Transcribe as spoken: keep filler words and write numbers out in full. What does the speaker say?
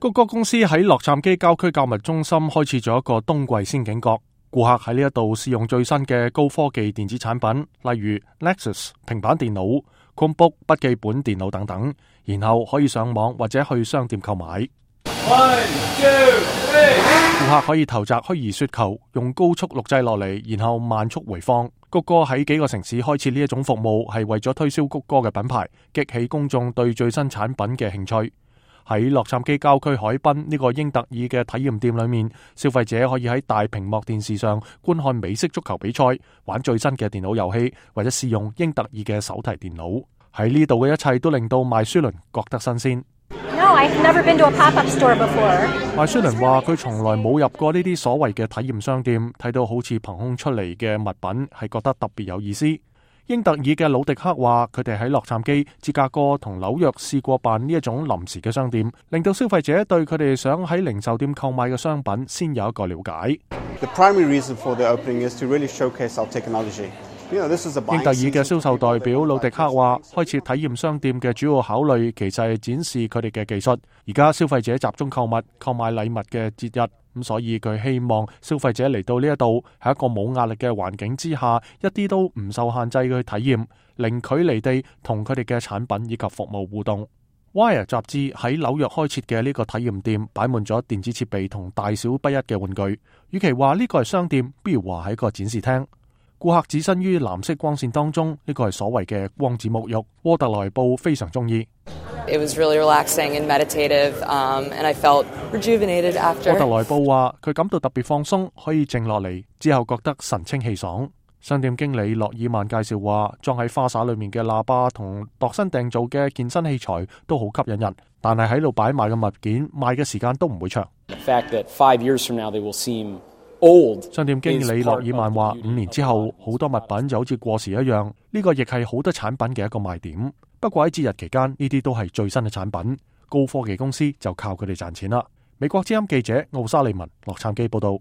谷歌公司喺洛杉磯郊區購物中心開設咗一個冬季仙境角，顧客喺呢一度試用最新嘅高科技電子產品，例如 Nexus 平板電腦、Chromebook 筆記本電腦等等，然後可以上網或者去商店購買。One, two, three. 顧客可以投擲虛擬雪球，用高速錄製落嚟，然後慢速回放。谷歌喺幾個城市開設呢一種服務，係為咗推銷谷歌嘅品牌，激起公眾對最新產品嘅興趣。喺洛杉磯郊區海濱呢個英特爾嘅體驗店裏面，消費者可以喺大屏幕電視上觀看美式足球比賽，玩最新嘅電腦遊戲，或者試用英特爾嘅手提電腦。喺呢度嘅一切都令到麥舒倫覺得新鮮。No, I've never been to a pop-up store before. 麥舒倫話佢從來冇入過呢啲所謂嘅體驗商店，睇到好似憑空出嚟嘅物品係覺得特別有意思。英特爾嘅魯迪克話佢哋喺洛杉磯、芝加哥同紐約試過辦呢一種臨時嘅商店，令到消費者對佢哋想喺零售店購買嘅商品先有一個了解。The primary reason for the opening is to really showcase our technology. You know, this is a 英特爾嘅銷售代表魯迪克話，開設體驗商店嘅主要考慮其實係展示佢哋嘅技術。而家消費者集中購物、購買禮物嘅節日，咁所以佢希望消費者嚟到呢一度喺一個冇壓力嘅環境之下，一啲都唔受限制嘅去體驗，零距離地同佢哋嘅產品以及服務互動。Wire 雜誌喺紐約開設嘅呢個體驗店擺滿咗電子設備同大小不一嘅玩具。與其話呢個係商店，不如話係一個展示廳。顧客置身於藍色光線當中，呢個係所謂嘅光子沐浴。沃特萊布非常中意。It was really relaxing and meditative, um, and I felt rejuvenated after. 沃特萊布話佢感到特別放鬆，可以靜落嚟，之後覺得神清氣爽。商店經理洛爾曼介紹話，裝喺花灑裏面嘅喇叭同度身訂造嘅健身器材都好吸引人，但係喺度擺賣嘅物件賣嘅時間都唔會長。The fact that five years from now they will seem old. 商店經理洛爾曼話，五年之後好多物品就好似過時一樣，呢個亦係好多產品嘅一個賣點。不過喺節日期間，呢啲都係最新嘅產品，高科技公司就靠佢哋賺錢啦。美國之音記者奧沙利文洛杉磯報道。